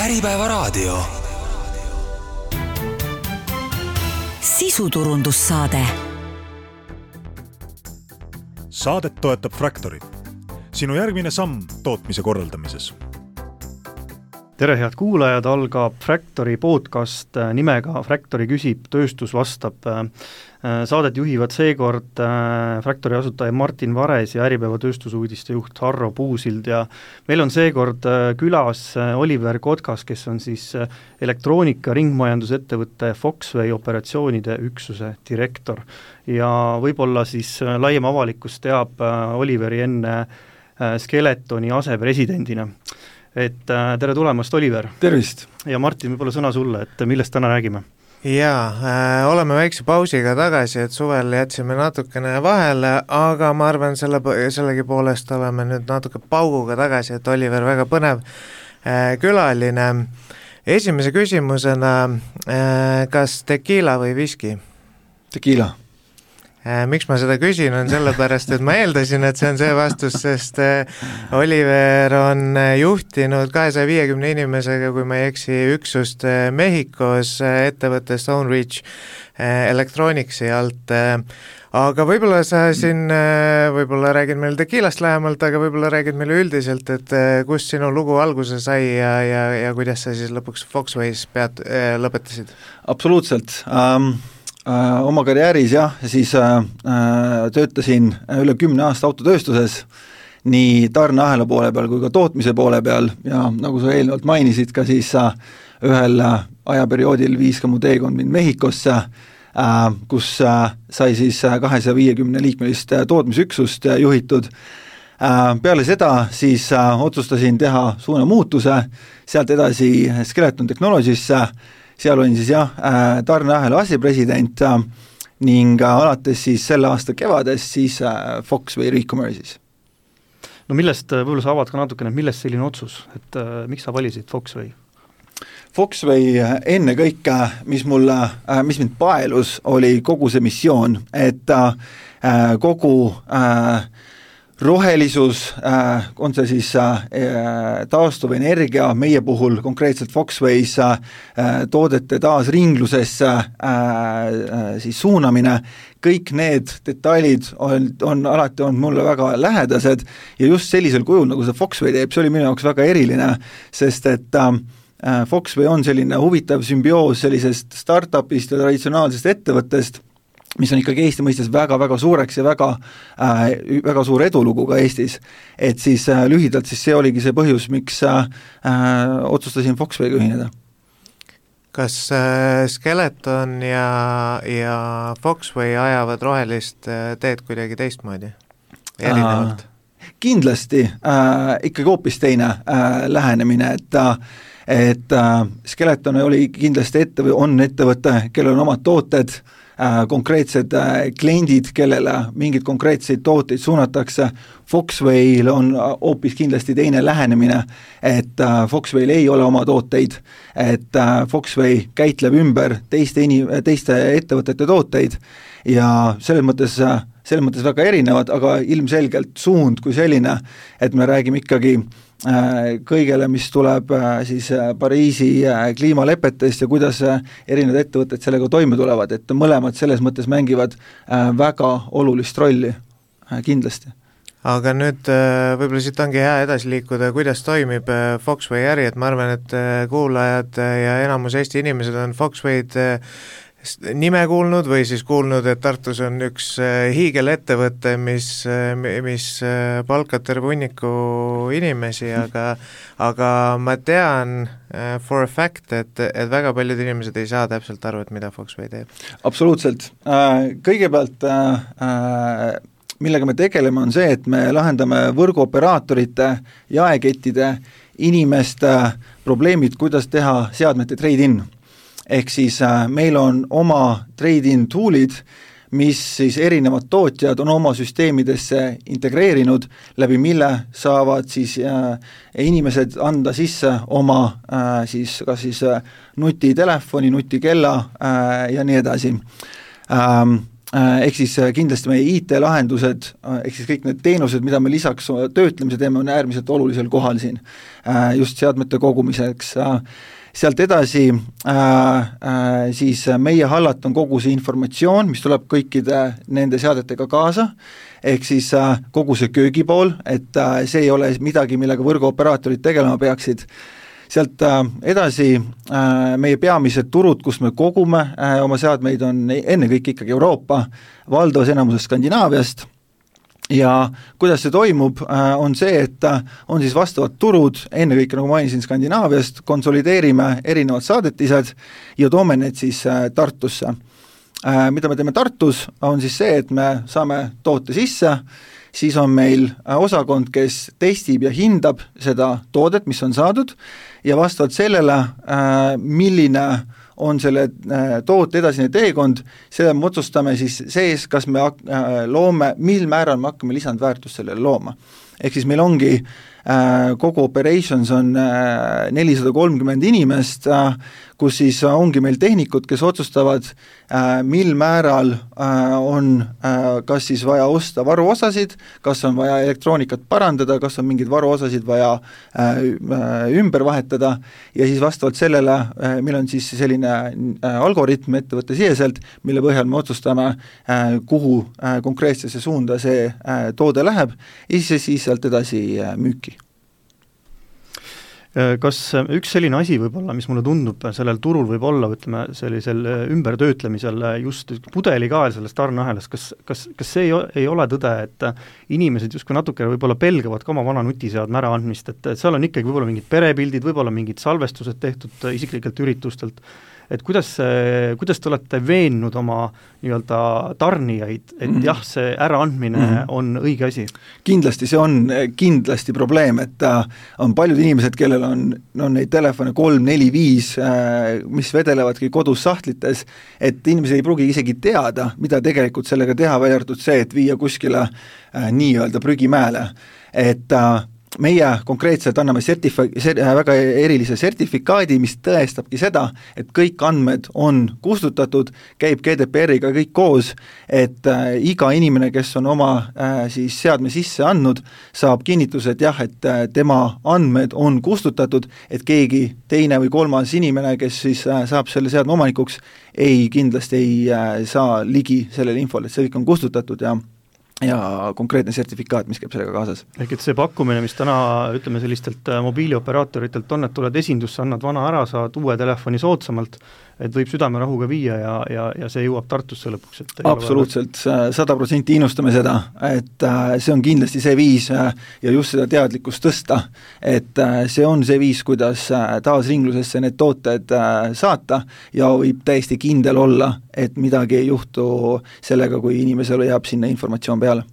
Äripäevaraadio. Sisuturundussaade. Saadet toetab Fractory. Sinu järgmine samm tootmise korraldamises. Tere head kuulajad, algab Fractory podcast nimega Fractory küsib, tööstus vastab. Saadet juhivad seekord Fractory asutaja Martin Vares ja Äripäeva tööstusuudiste juht Harro Puusild ja meil on seekord külas Oliver Kotkas, kes on siis elektroonika ringmajandusettevõtte Foxway operatsioonide üksuse direktor. Ja võib-olla siis laiem avalikkus teab Oliveri enne Skeletoni asepresidendina. Et tere tulemast, Oliver. Tervist. Ja Martin, võib-olla sõna sulle, et millest täna räägime? Jaa, oleme väikse pausiga tagasi, et suvel jätsime natukene vahele, aga ma arvan, sellegi poolest oleme nüüd natuke pauguga tagasi, et Oliver väga põnev külaline. Esimese küsimusena, kas tekiila või viski? Tekiila. Miks ma seda küsin, on sellepärast, et ma eeldasin, et see on see vastus, sest Oliver on juhtinud 250 inimesega, kui ma ei eksi, üksust Mehhikos ettevõtte Stoneridge Electronicsi alt. Aga võib-olla sa siin võib-olla räägid meil tekiilast lähemalt, aga võib-olla räägid meile üldiselt, et kus sinu lugu alguse sai ja kuidas sa siis lõpuks Foxways lõpetasid? Absoluutselt. Oma karjääris siis töötasin üle 10 aasta autotööstuses nii tarneahela poole peal kui ka tootmise poole peal ja nagu sa eelnevalt mainisid ka siis ühel ajaperioodil viis ka mu teekond mind Mehhikosse, kus sai siis 250 liikmelist tootmisüksust juhitud. Peale seda siis otsustasin teha suunamuutuse, sealt edasi Skeleton Technologiesse. Seal olin siis tarneahela asepresident ning alates siis selle aasta kevades siis Foxway Recommerce'is. No millest, võib-olla sa avad ka natukene, millest selline otsus, et miks sa valisid Foxway? Foxway enne kõike, mis mind paelus, oli kogu see missioon, et kogu rohelisus, on see siis taastuv energia, meie puhul konkreetselt Foxways toodete taas ringlusesse siis suunamine, kõik need detailid on alati olnud mulle väga lähedased ja just sellisel kujul, nagu see Foxway teeb, see oli minu jaoks väga eriline, sest et Foxway on selline huvitav sümbioos sellisest startupist ja traditsionaalsest ettevõttest, mis on ikkagi Eesti mõistes väga-väga suureks ja väga suur edulugu ka Eestis. Et siis lühidalt siis see oligi see põhjus, miks otsustasin Foxway'ga ühineda. Kas Skeleton ja Foxway ajavad rohelist teed kuidagi teistmoodi? Erinevalt? Kindlasti ikkagi hoopis teine lähenemine, et Skeleton oli kindlasti on ettevõte, kellel on omad tooted, konkreetsed kliendid, kellele mingid konkreetseid tooteid suunatakse. Foxway'l on hoopis kindlasti teine lähenemine, et Foxway'l ei ole oma tooteid, et Foxway käitleb ümber teiste ettevõtete tooteid ja selles mõttes väga erinevad, aga ilmselgelt suund kui selline, et me räägime ikkagi kõigele, mis tuleb siis Pariisi kliimalepetest ja kuidas erinevad ettevõtted sellega toime tulevad, et mõlemad selles mõttes mängivad väga olulist rolli, kindlasti. Aga nüüd võib-olla siit ongi hea edasi liikuda, kuidas toimib Foxway äri, et ma arvan, et kuulajad ja enamus Eesti inimesed on Foxway'd nime kuulnud või siis kuulnud, et Tartus on üks hiigelettevõte, mis palkab terve hunniku inimesi, aga ma tean for a fact, et väga paljud inimesed ei saa täpselt aru, et mida Foxway teeb. Absoluutselt. Kõigepealt millega me tegeleme, on see, et me lahendame võrguoperaatorite, jaekettide, inimeste probleemid, kuidas teha seadmete trade-in. Ehk siis meil on oma trade-in toolid, mis siis erinevad tootjad on oma süsteemidesse integreerinud, läbi mille saavad siis inimesed anda sisse oma siis kas siis nutitelefoni, nutikella ja nii edasi. ehk siis kindlasti meie IT-lahendused, ehk siis kõik need teenused, mida me lisaks töötlemise teeme, on äärmiselt olulisel kohal siin, just seadmete kogumiseks. Sealt edasi siis meie hallata on kogu see informatsioon, mis tuleb kõikide nende seadetega kaasa, ehk siis kogu see köögipool, et see ei ole midagi, millega võrguoperaatorid tegelema peaksid. Sealt edasi meie peamised turud, kus me kogume oma seadmeid, on ennekõike ikkagi Euroopa, valdavas enamuses Skandinaaviast, ja kuidas see toimub, on see, et on siis vastavad turud, ennekõike nagu mainisin Skandinaaviast, konsolideerime erinevad saadetised ja toome need siis Tartusse. Mida me teeme Tartus, on siis see, et me saame toote sisse, siis on meil osakond, kes testib ja hindab seda toodet, mis on saadud, ja vastavalt sellele, milline on selle toote edasine teekond, selle me otsustame siis sees, kas me loome, mil määral me hakkame lisandväärtust sellele looma. Ehk siis meil ongi kogu operations on 430 inimest, kus siis ongi meil tehnikud, kes otsustavad, mil määral on kas siis vaja osta varuosasid, kas on vaja elektroonikat parandada, kas on mingeid varuosasid vaja ümber vahetada, ja siis vastavalt sellele, meil on siis selline algoritm ettevõtte siseselt, mille põhjal me otsustame, kuhu konkreetsesse suunda see toode läheb, ja siis sealt edasi müüki. Kas üks selline asi võib-olla, mis mulle tundub sellel turul võib olla, ütleme, sellisel ümbertöötlemisel just pudelikael sellest tarneahelast, kas see ei ole tõde, et inimesed justkui natuke võib-olla pelgavad ka oma vana nutiseadme ära andmist, et seal on ikkagi võib-olla mingid perepildid, võib-olla mingid salvestused tehtud isiklikelt üritustelt, et kuidas te olete veennud oma nii-öelda tarnijaid, et jah, see äraandmine on õige asi? Kindlasti see on kindlasti probleem, et on paljud inimesed, kellel on neid telefone 3, 4, 5, mis vedelevadki kodus sahtlites, et inimesed ei pruugi isegi teada, mida tegelikult sellega teha, välja arvatud see, et viia kuskile nii-öelda prügimäele, et meie konkreetselt anname väga erilise sertifikaadi, mis tõestabki seda, et kõik andmed on kustutatud, käib GDPR-iga kõik koos, et iga inimene, kes on oma siis seadme sisse andnud, saab kinnituse, et jah, et tema andmed on kustutatud, et keegi teine või kolmas inimene, kes siis saab selle seadme omanikuks, kindlasti ei saa ligi sellele infole, et see kõik on kustutatud ja konkreetne sertifikaat, mis käib sellega kaasas. Ehk et see pakkumine, mis täna ütleme sellistelt mobiilioperatoritelt on, et tuled esindusse, annad vana ära, saad uue telefoni soodsamalt, et võib südamerahuga viia ja see jõuab Tartusse lõpuks. Absoluutselt, 100% innustame seda, et see on kindlasti see viis ja just seda teadlikkust tõsta, et see on see viis, kuidas taasringlusesse need tooted saata ja võib täiesti kindel olla, et midagi ei juhtu sellega, kui inimesele jääb sinna informatsioon peale.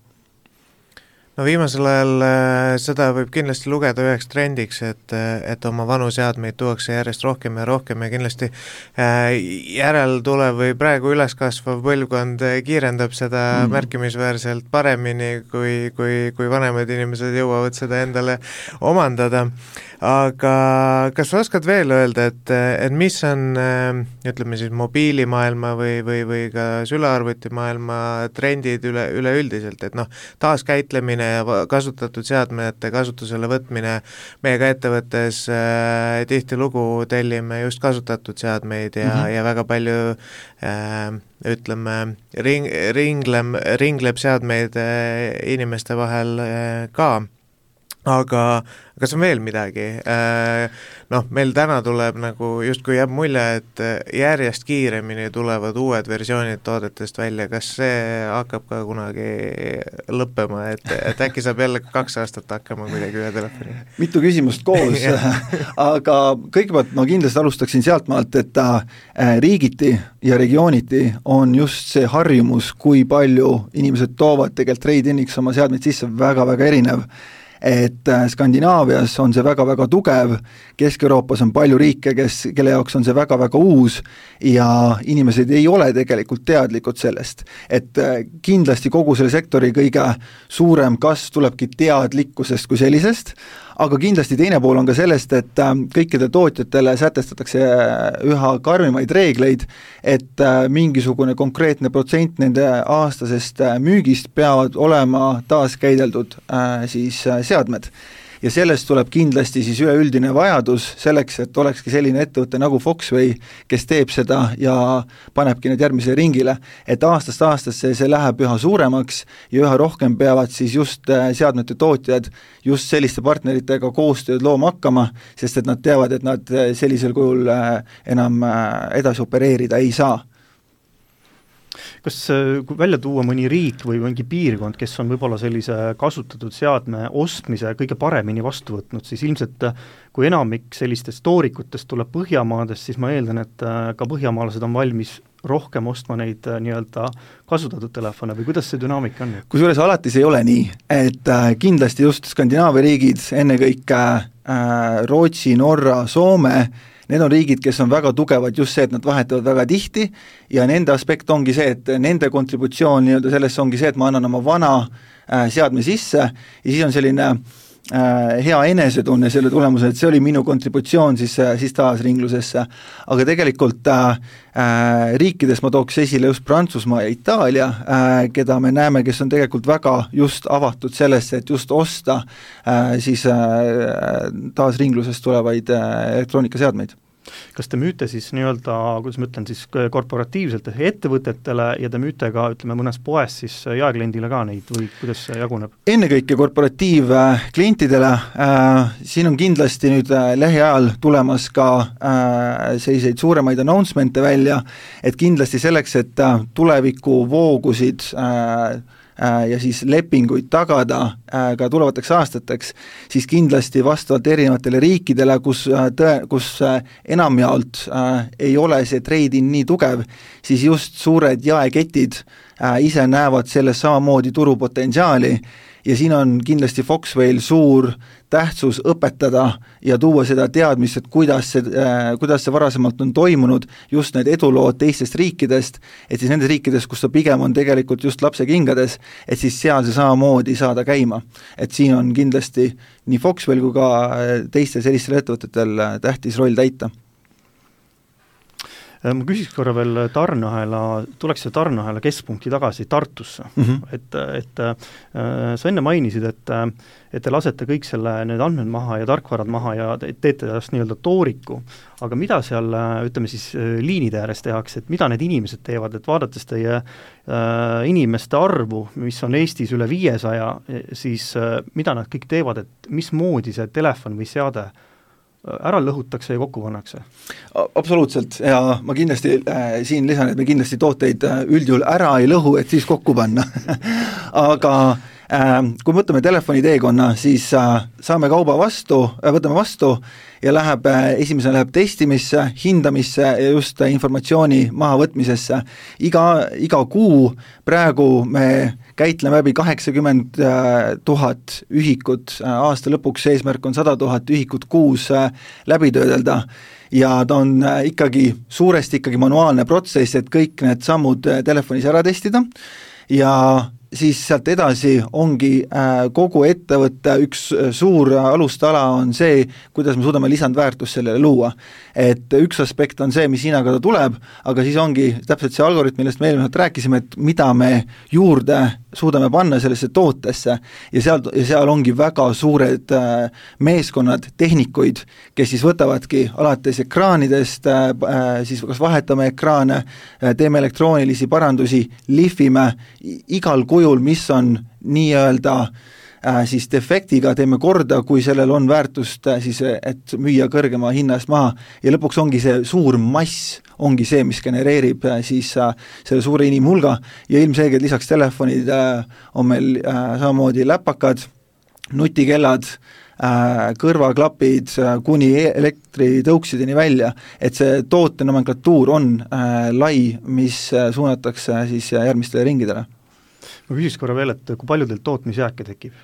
No viimasel ajal seda võib kindlasti lugeda üheks trendiks, et oma vanu seadmeid tuuakse järjest rohkem ja kindlasti järeltulev või praegu üleskasvav põlvkond kiirendab seda märkimisväärselt paremini, kui vanemad inimesed jõuavad seda endale omandada. Aga kas sa oskad veel öelda, et mis on, ütleme siis mobiilimaailma või ka sülearvutimaailma trendid üleüldiselt, et taaskäitlemine ja kasutatud seadmete kasutusele võtmine, meie ka ettevõttes tihtilugu tellime just kasutatud seadmeid ja väga palju ütleme, ringleb seadmeid inimeste vahel ka. Aga kas on veel midagi? Meil täna tuleb justkui jääb mulje, et järjest kiiremini tulevad uued versioonid toodetest välja, kas see hakkab ka kunagi lõppema, et äkki saab jälle 2 aastat hakkama kuidagi ühe telefoni? Mitu küsimust koos, aga kõigepealt ma kindlasti alustaksin sealtmaalt, et riigiti ja regiooniti on just see harjumus, kui palju inimesed toovad tegelikult trade-iniks oma seadmeid sisse väga-väga erinev. Et Skandinaavias on see väga-väga tugev, Kesk-Euroopas on palju riike, kelle jaoks on see väga-väga uus ja inimesed ei ole tegelikult teadlikud sellest. Et kindlasti kogu selle sektori kõige suurem kasv tulebki teadlikkusest kui sellisest, aga kindlasti teine pool on ka sellest, et kõikidele tootjatele sätestatakse üha karmimaid reegleid, et mingisugune konkreetne protsent nende aastasest müügist peavad olema taaskäideldud siis seadmed. Ja sellest tuleb kindlasti siis üleüldine vajadus selleks, et olekski selline ettevõte nagu Foxway, kes teeb seda ja panebki need järgmisele ringile, et aastast aastasse see läheb üha suuremaks ja üha rohkem peavad siis just seadmete tootjad just selliste partneritega koostööd looma hakkama, sest et nad teavad, et nad sellisel kujul enam edasi opereerida ei saa. Kas kui välja tuua mõni riik või mingi piirkond, kes on võib-olla sellise kasutatud seadme ostmise kõige paremini vastu võtnud, siis ilmselt kui enamik sellistest toorikutest tuleb Põhjamaadest, siis ma eeldan, et ka põhjamaalased on valmis rohkem ostma neid nii-öelda kasutatud telefone või kuidas see dünaamika on? Kusjuures alati see ei ole nii, et kindlasti just Skandinaavia riigid, ennekõike Rootsi, Norra, Soome, need on riigid, kes on väga tugevad just see, et nad vahetavad väga tihti ja nende aspekt ongi see, et nende kontributsioon nii-öelda sellesse ongi see, et ma annan oma vana seadme sisse ja siis on selline hea enesetunne selle tulemusel, et see oli minu kontributsioon siis taasringlusesse. Aga tegelikult riikides ma tooks esile just Prantsusmaa ja Itaalia, keda me näeme, kes on tegelikult väga just avatud sellesse, et just osta siis taasringlusest tulevaid elektroonikaseadmeid. Kas te müüte siis nii-öelda, kuidas ma ütlen, siis korporatiivselt ettevõtetele ja te müüte ka, ütleme, mõnes poes siis jaekliendile ka neid või kuidas see jaguneb? Ennekõike korporatiivklientidele, siin on kindlasti nüüd lähiajal tulemas ka selliseid suuremaid announcemente välja, et kindlasti selleks, et tuleviku voogusid ja siis lepinguid tagada ka tulevateks aastateks, siis kindlasti vastavalt erinevatele riikidele, kus enamjaolt ei ole see trade-in nii tugev, siis just suured jaeketid ise näevad selles samamoodi turupotentsiaali ja siin on kindlasti Foxwayl suur tähtsus õpetada ja tuua seda teadmist, et kuidas see varasemalt on toimunud, just need edulood teistest riikidest, et siis nendes riikides, kus ta pigem on tegelikult just lapse kingades, et siis seal see samamoodi saada käima. Et siin on kindlasti nii Foxwayl kui ka teistel sellistel ettevõtetel tähtis roll täita. Ma küsiks korra veel tuleks see tarneahela keskpunkti tagasi Tartusse, et sa enne mainisid, et te lasete kõik need andmed maha ja tarkvarad maha ja teete tast nii-öelda tooriku, aga mida seal, ütleme siis liinide ääres tehakse, et mida need inimesed teevad, et vaadates teie inimeste arvu, mis on Eestis üle 500, siis mida nad kõik teevad, et mismoodi see telefon või seade ära lõhutakse ja kokku pannakse? Absoluutselt, ja ma kindlasti siin lisan, et me kindlasti tooteid üldjuhul ära ei lõhu, et siis kokku panna. Aga kui võtame telefoni teekonna, siis saame kauba võtame vastu ja esimesena läheb testimisse, hindamisse ja just informatsiooni mahavõtmisesse. Iga kuu praegu me käitleme läbi 80 000 ühikut, aasta lõpuks eesmärk on 100 000 ühikut kuus läbi töödelda ja ta on suuresti manuaalne protsess, et kõik need sammud telefonis ära testida ja siis sealt edasi ongi kogu ettevõtte üks suur alustala on see, kuidas me suudame lisandväärtust sellele luua. Et üks aspekt on see, mis hinnaga ta tuleb, aga siis ongi täpselt see algoritm, millest me eelmine rääkisime, et mida me juurde suudame panna sellesse tootesse ja seal ongi väga suured meeskonnad, tehnikuid, kes siis võtavadki alates ekraanidest, siis kas vahetame ekraane, teeme elektroonilisi parandusi, lihvime igal kujul, mis on nii-öelda siis defektiga teeme korda, kui sellel on väärtust, siis et müüa kõrgema hinna eest maha ja lõpuks ongi see suur mass, ongi see, mis genereerib siis selle suure inimhulga ja ilmselgelt lisaks telefonid on meil samamoodi läpakad, nutikellad, kõrvaklapid kuni elektritõuksideni välja, et see toote nomenklatuur on lai, mis suunatakse siis järgmistele ringidele. Ma küsiks korra veel, et kui palju teil tootmisjääke tekib?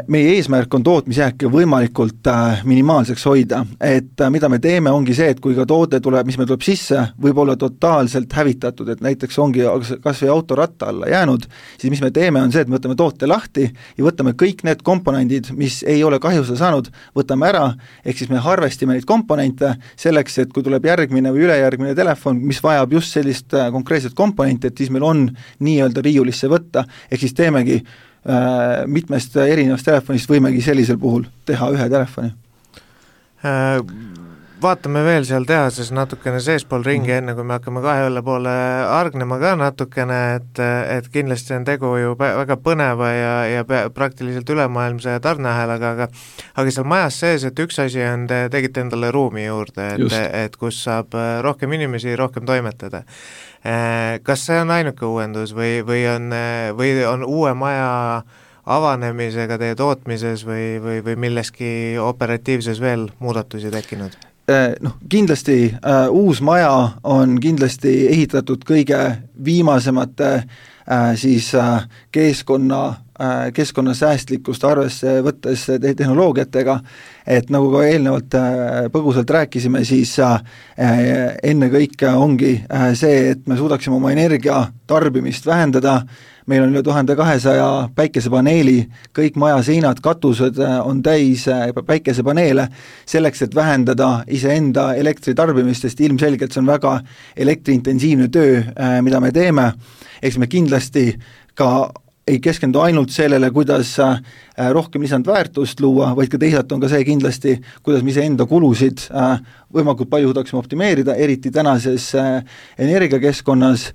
meie eesmärk on tootmisjääke võimalikult minimaalseks hoida, et mida me teeme, ongi see, et kui ka toode tuleb, mis meil tuleb sisse, võib olla totaalselt hävitatud, et näiteks ongi kas või auto ratta alla jäänud, siis mis me teeme, on see, et me võtame toote lahti ja võtame kõik need komponendid, mis ei ole kahjustada saanud, võtame ära, ehk siis me harvestime neid komponente selleks, et kui tuleb järgmine või ülejärgmine telefon, mis vajab just sellist konkreetset komponenti, et siis meil on nii-öelda riiulisse võtta, ehk siis teemegi mitmest erinevast telefonist võimegi sellisel puhul teha ühe telefoni. Vaatame veel seal tehases natukene seespool ringi, enne kui me hakkame kahe õlle poole argnema ka natukene, et kindlasti on tegu ju väga põneva ja praktiliselt ülemaailmse tarneahelaga, aga seal majas sees, et üks asi on, te tegite endale ruumi juurde, et kus saab rohkem inimesi rohkem toimetada. Kas see on ainuke uuendus või on uue maja avanemisega teie tootmises või milleski operatiivses veel muudatusi tekkinud? Kindlasti uus maja on kindlasti ehitatud kõige viimasemate siis keskkonnasäästlikkust arvesse võttes tehnoloogiatega, et nagu ka eelnevalt põgusalt rääkisime, siis ennekõike ongi see, et me suudaksime oma energia tarbimist vähendada, meil on üle 1200 päikesepaneeli, kõik maja seinad, katused on täis päikesepaneele, selleks, et vähendada iseenda elektritarbimist, sest ilmselgelt see on väga elektriintensiivne töö, mida me teeme, eks me kindlasti ka ei keskendu ainult sellele, kuidas rohkem lisandväärtust luua, vaid ka teisalt on ka see kindlasti, kuidas me iseenda kulusid võimalikult palju suudaksime optimeerida, eriti tänases energiakeskkonnas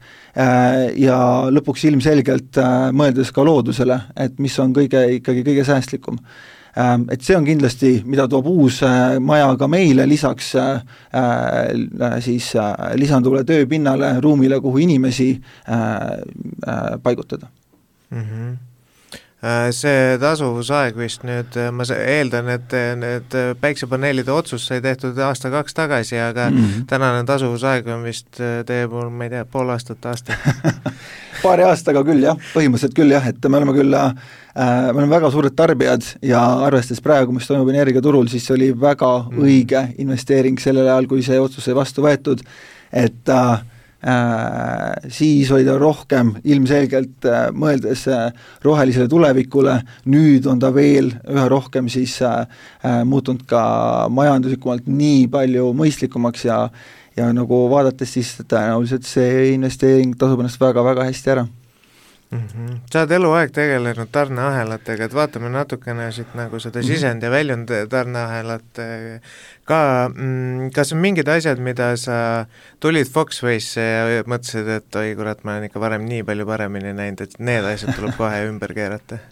ja lõpuks ilmselgelt mõeldes ka loodusele, et mis on ikkagi kõige säästlikum. Et see on kindlasti, mida toob uus maja ka meile lisaks siis lisanduvale tööpinnale, ruumile, kuhu inimesi paigutada. See tasuvusaeg vist nüüd, ma eeldan, et need päiksepaneelide otsus sai tehtud aasta-kaks tagasi, aga tänane tasuvusaeg on vist teie pool, ma ei tea, pool aastat. Paari aastaga küll jah, põhimõtteliselt küll jah, et me oleme väga suured tarbijad ja arvestades praegu, mis toimub energiaturul, siis see oli väga õige investeering sellel ajal, kui see otsus sai vastu võetud, et siis oli ta rohkem ilmselgelt mõeldes rohelisele tulevikule, nüüd on ta veel üha rohkem siis muutunud ka majanduslikumalt nii palju mõistlikumaks ja nagu vaadates siis tõenäoliselt see investeering tasub ennast väga-väga hästi ära. Sa oled eluaeg tegelenud tarneahelatega, et vaatame natukene siit nagu seda sisend ja väljund tarneahelat ka, kas on mingid asjad, mida sa tulid Foxway'sse ja mõtlesid, et oi kurat, ma olen ikka varem nii palju paremini näinud, et need asjad tuleb kohe ümber keerata?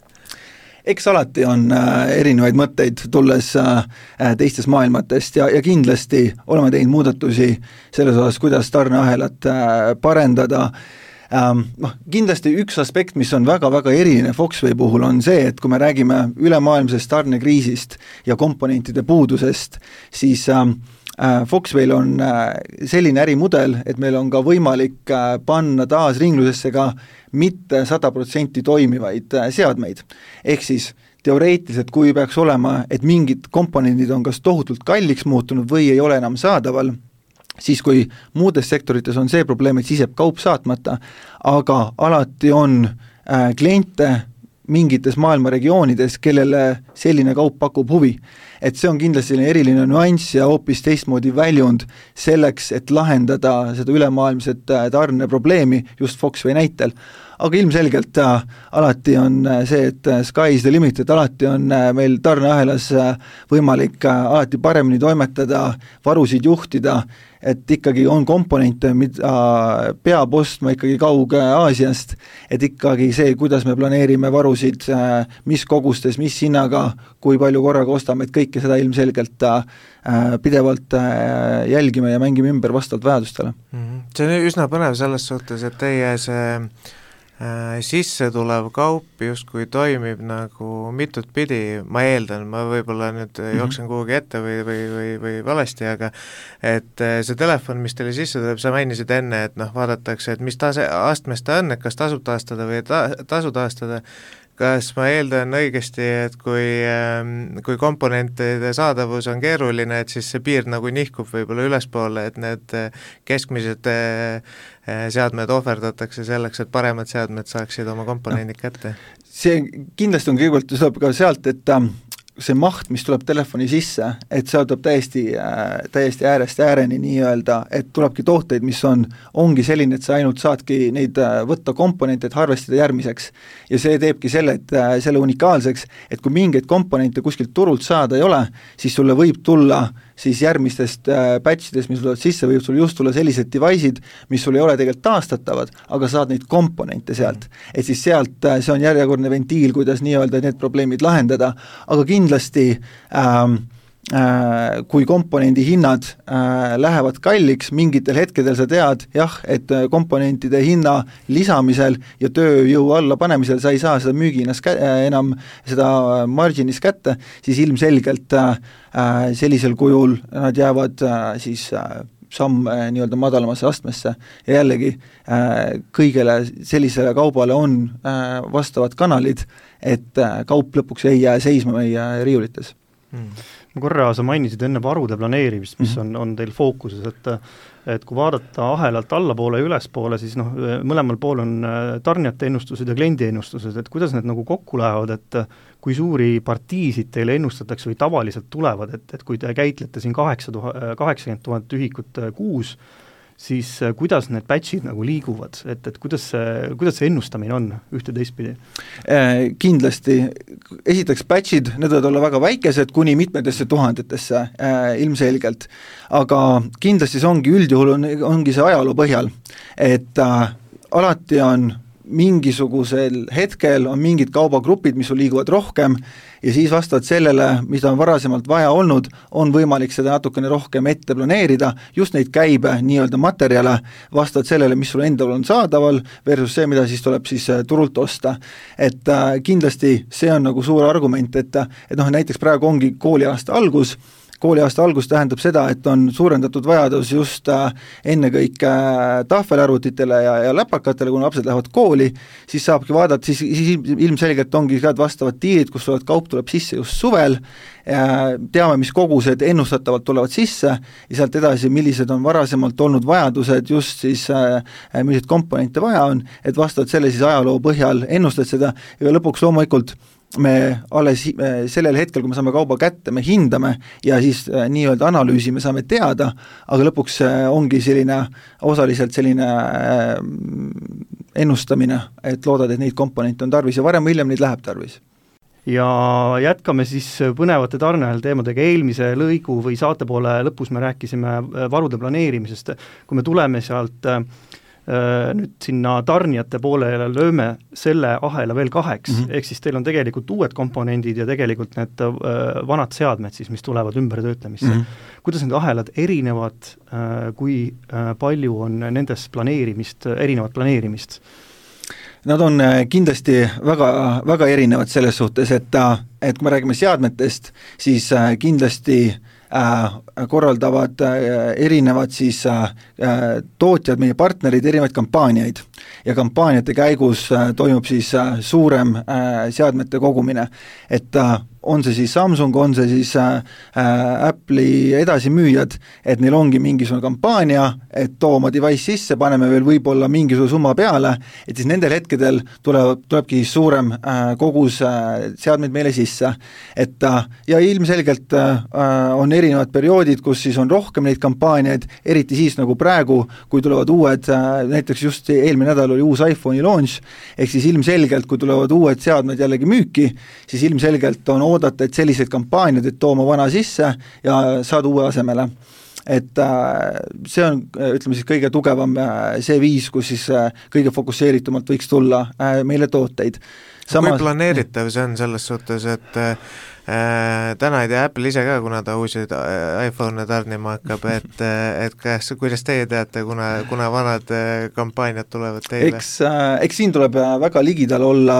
Eks alati on erinevaid mõtteid tulles teistest maailmatest ja kindlasti oleme teinud muudatusi selles osas, kuidas tarneahelat parendada. Kindlasti üks aspekt, mis on väga-väga eriline Foxway puhul, on see, et kui me räägime ülemaailmsest tarnekriisist ja komponentide puudusest, siis Foxwayl on selline ärimudel, et meil on ka võimalik panna taas ringlusesse ka mitte 100% toimivaid seadmeid. Ehk siis teoreetiliselt, kui peaks olema, et mingid komponendid on kas tohutult kalliks muutunud või ei ole enam saadaval, siis kui muudes sektorites on see probleem, et siis jääb kaup saatmata, aga alati on kliente mingites maailma regioonides, kellele selline kaup pakub huvi. Et see on kindlasti eriline nüanss ja hoopis teistmoodi väljund selleks, et lahendada seda ülemaailmset tarne probleemi just Foxway näitel. Aga ilmselgelt alati on see, et sky is the limit, et alati on meil tarneahelas võimalik alati paremini toimetada, varusid juhtida, et ikkagi on komponente, mida peab ostma ikkagi kauge Aasiast, et ikkagi see, kuidas me planeerime varusid, mis kogustes, mis hinnaga, kui palju korraga ostame, et kõike seda ilmselgelt pidevalt jälgime ja mängime ümber vastavalt vajadustele. See on üsna põnev selles suhtes, et teie see sisse tulev kaup justkui toimib nagu mitut pidi, ma eeldan, ma võib-olla nüüd jooksen kuhugi ette või valesti, aga et see telefon, mis teile sisse tuleb, sa mainisid enne, et vaadatakse, et mis astmes ta on, et kas tasub taastada või tasu taastada, kas ma eeldan õigesti, et kui komponentide saadavus on keeruline, et siis see piir nagu nihkub võib-olla ülespoole, et need keskmised seadmed ohverdatakse selleks, et paremad seadmed saaksid oma komponendid kätte? See kindlasti on kõigepealt, tuleb ka sealt, et see maht, mis tuleb telefoni sisse, et see tuleb täiesti äärest ääreni nii-öelda, et tulebki tooteid, mis ongi selline, et sa ainult saadki neid võtta komponente, et harvestada järgmiseks. Ja see teebki selle unikaalseks, et kui mingeid komponente kuskilt turult saada ei ole, siis sulle võib tulla siis järgmistest batchidest, mis tulevad sisse, võib sul just tulla sellised device'id, mis sul ei ole tegelikult taastatavad, aga saad neid komponente sealt. Et siis sealt, see on järjekordne ventiil, kuidas nii-öelda need probleemid lahendada, aga kindlasti kui komponendi hinnad lähevad kalliks, mingitel hetkedel sa tead, jah, et komponentide hinna lisamisel ja tööjõu alla panemisel sa ei saa seda müügihinnast enam seda marginis kätte, siis ilmselgelt sellisel kujul nad jäävad siis samm nii-öelda madalamasse astmesse ja jällegi kõigele sellisele kaubale on vastavad kanalid, et kaup lõpuks ei jää seisma meie riiulites. Korra sa mainisid enne varude planeerimist, mis on teil fookuses, et kui vaadata ahelalt allapoole ja ülespoole, siis mõlemal pool on tarnijate ennustused ja kliendi ennustused, et kuidas need nagu kokku lähevad, et kui suuri partiisid teile ennustatakse või tavaliselt tulevad, et kui te käitlete siin 80 000 ühikut kuus, siis kuidas need batchid nagu liiguvad, et kuidas see ennustamine on ühte teistpidi? Kindlasti, esiteks batchid, need võivad olla väga väikesed kuni mitmetesse tuhandetesse ilmselgelt, aga kindlasti see ongi üldjuhul, ongi see ajaloo põhjal, et alati on mingisugusel hetkel on mingid kaubagrupid, mis sul liiguvad rohkem ja siis vastavalt sellele, mida on varasemalt vaja olnud, on võimalik seda natukene rohkem ette planeerida, just neid käibe nii-öelda materjale vastavalt sellele, mis sul endal on saadaval versus see, mida siis tuleb siis turult osta. Et kindlasti see on nagu suur argument, et näiteks praegu ongi kooliaasta algus tähendab seda, et on suurendatud vajadus just ennekõike tahvelarvutitele ja läpakatele, kui lapsed lähevad kooli, siis saabki vaadata, siis ilmselgelt ongi vastavad diilid, kus kaup tuleb sisse just suvel, teame, mis kogused ennustatavalt tulevad sisse ja sealt edasi, millised on varasemalt olnud vajadused, just siis milliseid komponente vaja on, et vastavalt selle siis ajaloo põhjal ennustad seda ja lõpuks loomulikult me alles sellel hetkel, kui me saame kauba kätte, me hindame ja siis nii-öelda analüüsime, saame teada, aga lõpuks ongi osaliselt selline ennustamine, et loodad, et neid komponente on tarvis ja varem või hiljem neid läheb tarvis. Ja jätkame siis põnevate tarneahel teemadega. Eelmise lõigu või saate poole lõpus me rääkisime varude planeerimisest. Kui me tuleme sealt nüüd sinna tarnijate poolele, lööme selle ahela veel 2, ehk siis teil on tegelikult uued komponendid ja tegelikult need vanad seadmed siis, mis tulevad ümbertöötlemisse. Kuidas need ahelad erinevad, kui palju on nendes erinevat planeerimist? Nad on kindlasti väga, väga erinevad selles suhtes, et kui me räägime seadmetest, siis kindlasti korraldavad erinevad siis tootjad, meie partnerid, erinevaid kampaaniaid ja kampaaniate käigus toimub siis suurem seadmete kogumine, et on see siis Samsung, on see siis Apple'i edasimüüjad, et neil ongi mingisugune kampaania, et too oma device sisse, paneme veel võib-olla mingisugune summa peale, et siis nendel hetkedel tulebki suurem kogus seadmeid meile sisse. Et ja ilmselgelt on erinevad perioodid, kus siis on rohkem neid kampaaniaid, eriti siis nagu praegu, kui tulevad uued, näiteks just eelmine nädal oli uus iPhone'i launch, ehk siis ilmselgelt, kui tulevad uued seadmed jällegi müüki, siis ilmselgelt on oodata, et sellised kampaaniad, et tooma vana sisse ja saada uue asemele. Et see on, ütleme siis, kõige tugevam see viis, kus siis kõige fokusseeritumalt võiks tulla meile tooteid. Kui planeeritav see on selles suhtes, et täna ei tea Apple ise ka, kuna ta uusi iPhone'e tarnima hakkab, et kuidas teie teate, kuna vanad kampaaniad tulevad teile? Eks siin tuleb väga ligidal olla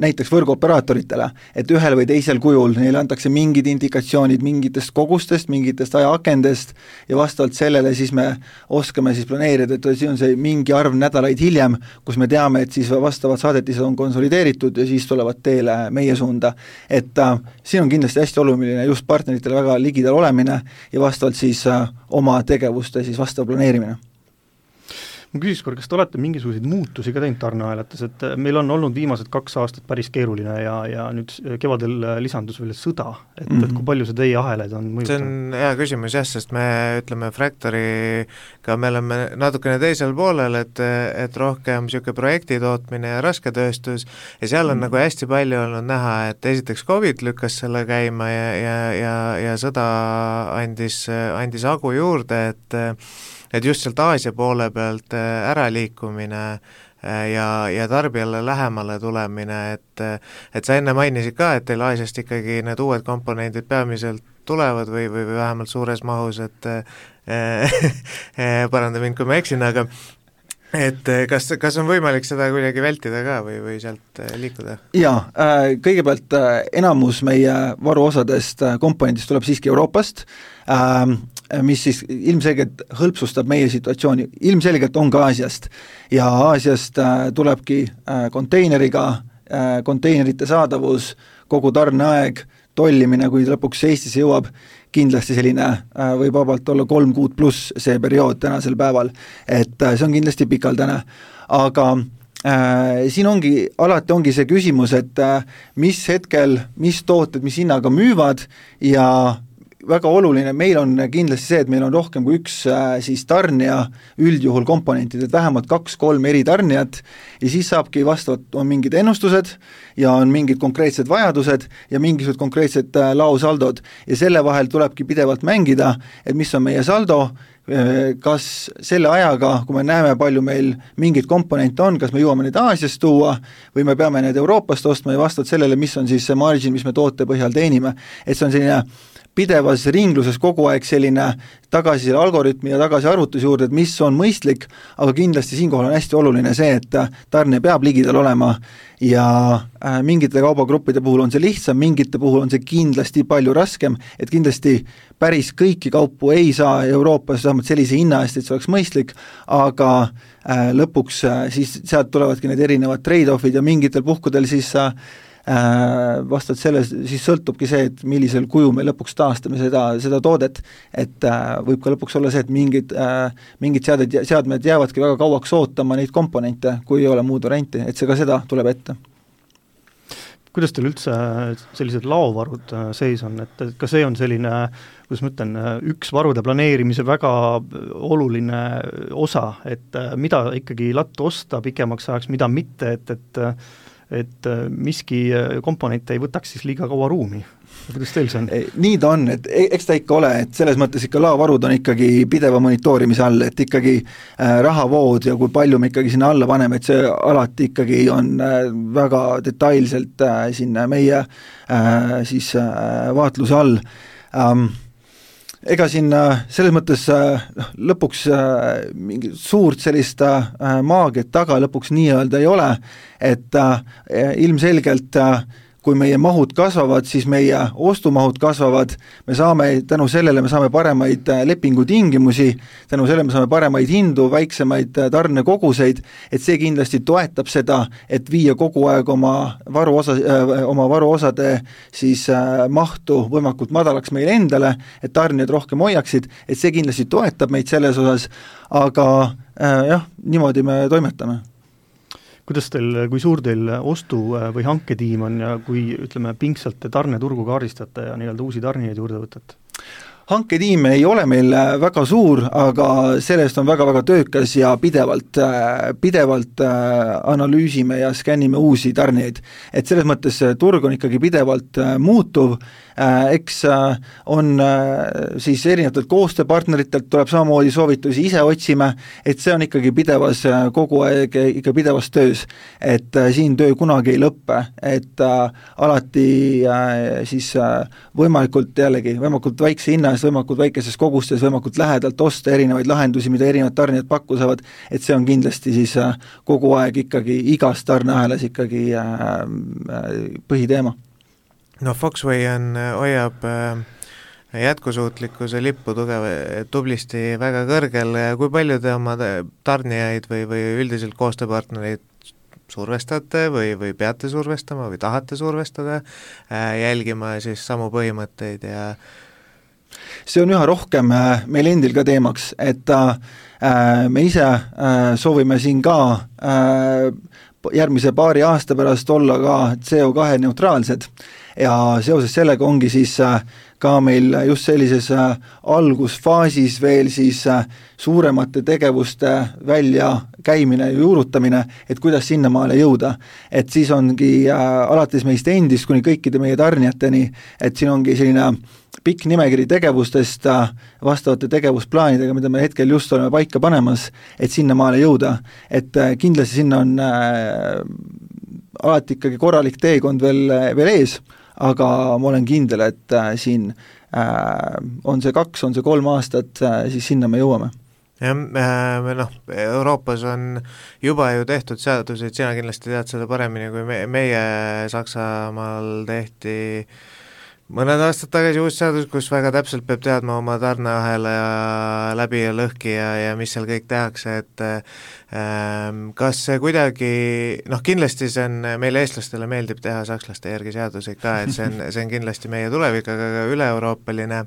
näiteks võrguoperaatoritele, et ühel või teisel kujul neile antakse mingid indikatsioonid mingitest kogustest, mingitest ajaakendest ja vastavalt sellele siis me oskame siis planeerida, et siin on see mingi arv nädalaid hiljem, kus me teame, et siis vastavad saadetised on konsolideeritud tehtud ja siis tulevad teele meie suunda. Et siin on kindlasti hästi oluline just partneritele väga ligidal olemine ja vastavalt siis oma tegevuste siis vastav planeerimine. Ma küsiks kas te olete mingisuguseid muutusi ka teinud tarneahelates, et meil on olnud viimased 2 aastat päris keeruline ja nüüd kevadel lisandus veel sõda, et kui palju see teie ahelaid on mõjutanud? See on hea küsimus jah, sest me ütleme Fractory'ga me oleme natukene teisel poolel, et rohkem niisugune projektitootmine ja rasketööstus ja seal on nagu hästi palju olnud näha, et esiteks COVID lükkas selle käima ja sõda andis hagu juurde, et just sealt Aasia poole pealt äraliikumine ja tarbijale lähemale tulemine, et sa enne mainisid ka, et teil Aasiast ikkagi need uued komponendid peamiselt tulevad või vähemalt suures mahus, et paranda mind, kui ma eksin, aga et kas on võimalik seda kuidagi vältida ka või sealt liikuda? Jaa, kõigepealt enamus meie varuosadest komponendist tuleb siiski Euroopast, mis siis ilmselgelt hõlpsustab meie situatsiooni, ilmselgelt on ka Aasiast ja Aasiast tulebki konteineriga, konteinerite saadavus, kogu tarneaeg, tollimine, kui lõpuks Eestisse jõuab, kindlasti selline võib vabalt olla 3 kuud pluss see periood tänasel päeval, et see on kindlasti pikaldane, aga siin alati ongi see küsimus, et mis hetkel, mis tooted, mis hinnaga müüvad ja väga oluline, meil on kindlasti see, et meil on rohkem kui üks siis tarnija üldjuhul komponentid, et vähemalt 2-3 eri tarnijat ja siis saabki vastavalt, on mingid ennustused ja on mingid konkreetsed vajadused ja mingisugused konkreetsed laosaldod ja selle vahel tulebki pidevalt mängida, et mis on meie saldo, kas selle ajaga, kui me näeme, palju meil mingid komponente on, kas me jõuame neid Aasiast tuua või me peame need Euroopast ostma ja vastavalt sellele, mis on siis see margin, mis me toote põhjal teenime, et see on selline pidevas ringluses kogu aeg selline tagasi selle algoritmi ja tagasi arvutuse juurde, et mis on mõistlik, aga kindlasti siinkohal on hästi oluline see, et tarne peab ligidal olema ja mingite kaubagruppide puhul on see lihtsam, mingite puhul on see kindlasti palju raskem, et kindlasti päris kõiki kaupu ei saa Euroopas vähemalt sellise hinna eest, et see oleks mõistlik, aga lõpuks siis sealt tulevadki need erinevad trade-offid ja mingitel puhkudel siis vastavalt selles siis sõltubki see, et millisel kuju me lõpuks taastame seda toodet, et võib ka lõpuks olla see, et mingid seadmed jäävadki väga kauaks ootama neid komponente, kui ei ole muud varianti, et see ka seda tuleb ette. Kuidas teil üldse sellised laovarud seis on, et ka see on selline, kuidas ma ütlen, üks varude planeerimise väga oluline osa, et mida ikkagi lattu osta pikemaks ajaks, mida mitte, et miski komponent ei võtaks siis liiga kaua ruumi. Kuidas teil see on? Nii ta on, et eks ta ikka ole, et selles mõttes ikka laovarud on ikkagi pideva monitoorimise all, et ikkagi rahavood ja kui palju me ikkagi sinna alla paneme, et see alati ikkagi on väga detailselt sinna meie siis vaatluse all. Ega siin selles mõttes lõpuks mingi suurt sellist maagiat taga lõpuks nii-öelda ei ole, et ilmselgelt kui meie mahud kasvavad, siis meie ostumahud kasvavad, me saame tänu sellele paremaid lepingutingimusi, tänu sellele me saame paremaid hindu, väiksemaid tarnekoguseid, et see kindlasti toetab seda, et viia kogu aeg oma varuosade siis mahtu võimalikult madalaks meile endale, et tarnijad rohkem hoiaksid, et see kindlasti toetab meid selles osas, aga jah, niimoodi me toimetame. Kuidas teil, kui suur teil ostu- või hanketiim on ja kui, ütleme, pingsalt te tarneturgu kaardistate ja nii-öelda uusi tarnijaid juurde võtate? Hanketiim ei ole meil väga suur, aga sellest on väga-väga töökas ja pidevalt analüüsime ja skännime uusi tarnijaid. Et selles mõttes turg on ikkagi pidevalt muutuv, eks on siis erinevatelt koostööpartneritelt tuleb samamoodi soovitusi ise otsime, et see on ikkagi kogu aeg ikka pidevas töös, et siin töö kunagi ei lõppe, et alati siis võimalikult väikse hinna eest, võimalikult väikeses kogustes, võimalikult lähedalt osta erinevaid lahendusi, mida erinevad tarnijad pakkusavad, et see on kindlasti siis kogu aeg ikkagi igas tarneahelas ikkagi põhiteema. No Foxway hoiab jätkusuutlikkuse lippu tublisti väga kõrgel, kui palju te oma tarnijaid või üldiselt koostööpartnereid survestate või peate survestama või tahate survestada, jälgima siis samu põhimõtteid ja see on üha rohkem meil endil ka teemaks, et me ise soovime siin ka järgmise paari aasta pärast olla ka CO2 neutraalsed ja seoses sellega ongi siis ka meil just sellises algusfaasis veel siis suuremate tegevuste väljakäimine ja juurutamine, et kuidas sinnamaale jõuda. Et siis ongi alates meist endist kuni kõikide meie tarnijateni, et siin ongi selline pikk nimekiri tegevustest vastavate tegevusplaanidega, mida me hetkel just oleme paika panemas, et sinnamaale jõuda. Et kindlasti sinna on alati ikkagi korralik teekond veel ees, aga ma olen kindel, et siin on see 2, on see 3 aastat, siis sinna me jõuame. Ja Euroopas on juba ju tehtud seaduseid, sina kindlasti tead seda paremini, kui meie Saksamaal tehti mõned aastad tagasi uus seadus, kus väga täpselt peab teadma oma tarneahela ja läbi ja lõhki ja mis seal kõik tehakse, et kas see kuidagi, kindlasti see on, meile eestlastele meeldib teha sakslaste järgi seaduseid ka, et see on kindlasti meie tulevik, aga ka üle-euroopaline.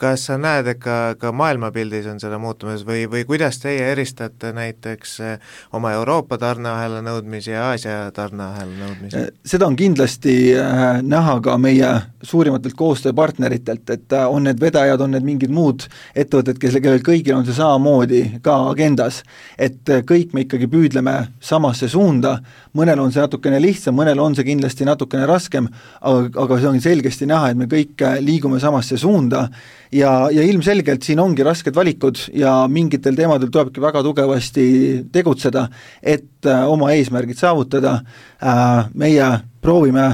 Kas sa näed, et ka maailmapildis on seda muutumas või kuidas teie eristate näiteks oma Euroopa tarneahela nõudmisi ja Aasia tarneahela nõudmisi? Seda on kindlasti näha ka meie suurimatelt koostööpartneritelt, et on need vedajad, on need mingid muud ettevõtted, kellel kõigil on see samamoodi ka agendas, et kõik me ikkagi püüdleme samasse suunda, mõnel on see natukene lihtsam, mõnel on see kindlasti natukene raskem, aga see on selgesti näha, et me kõik liigume samasse suunda ja ilmselgelt siin ongi rasked valikud ja mingitel teemadel tulebki väga tugevasti tegutseda, et oma eesmärgid saavutada. Meie proovime